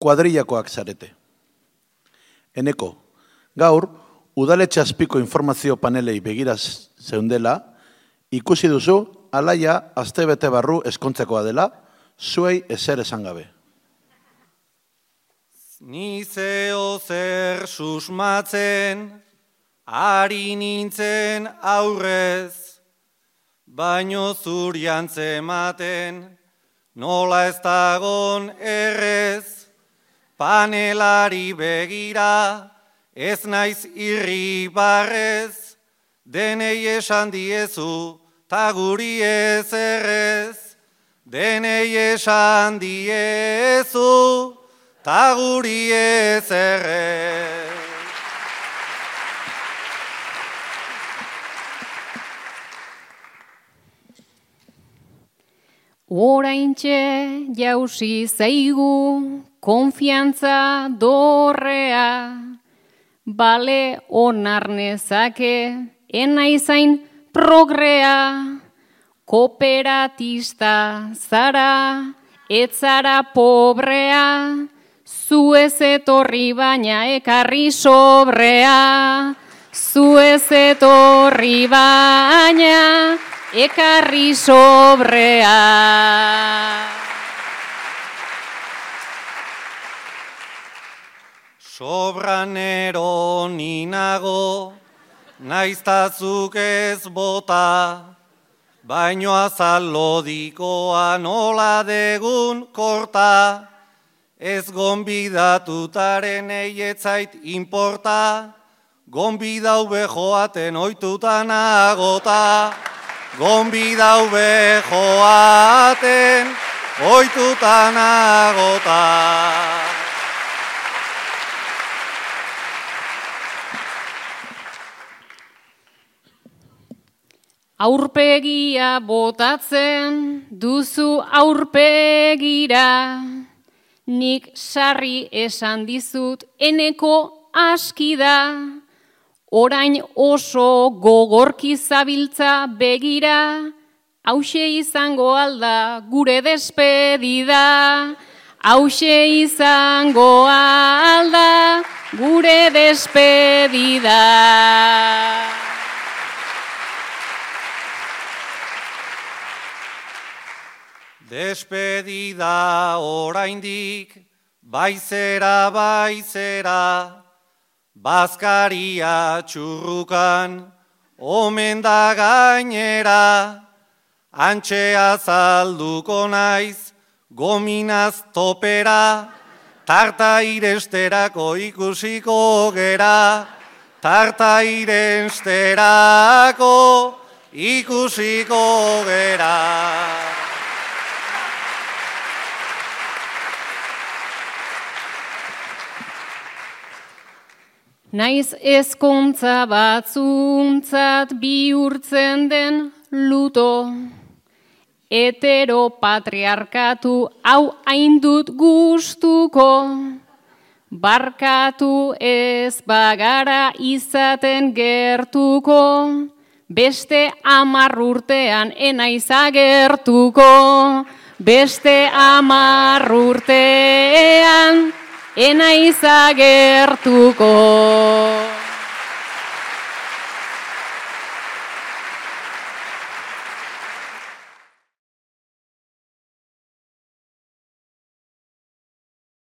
kuadrillakoak zarete. Eneko, gaur, udaletxe azpiko informazio panelei begiraz zeundela, ikusi duzu, alaia astebete barru eskontzekoa dela, zuei ezer esan gabe. Ni zeo zer susmatzen, ari nintzen aurrez, baino zurian zematen, nola ez dagon errez, panelari begira, ez naiz irribarrez, denei esan diezu, ta guri ez errez, denei esan diezu, ta guri ez errez. Oraintxe jausi zaigu konfiantza dorrea, bale onar nezake enaizain progrea, kooperatista zara, etzara pobrea, zu ez etorri baina ekarri sobrea, zu ez etorri baina ekarri sobrea. Sobranero ninago, naiztazuk ez bota, baino azal lodikoa nola degun korta, ez gonbidatutaren eietzait inporta, gonbidau bejoaten oitutan agota, gonbidau bejoaten oitutan agota. Aurpegia botatzen duzu aurpegira, nik sarri esan dizut eneko aski da, orain oso gogorki zabiltza begira, hauxe izango alda gure despedida, hauxe izango alda gure despedida. Despedida oraindik, baizera, bazkaria txurrukan, omen da gainera, antxe azalduko naiz, gominaz topera, tarta iresterako ikusiko gera, tarta iresterako ikusiko gera. Naiz ezkontza batzuntzat bihurtzen den luto, heteropatriarkatu hau haindut gustuko, barkatu ez bagara izaten gertuko, beste 10 urtean enaiz agertuko, beste 10 urtean enaiz agertuko.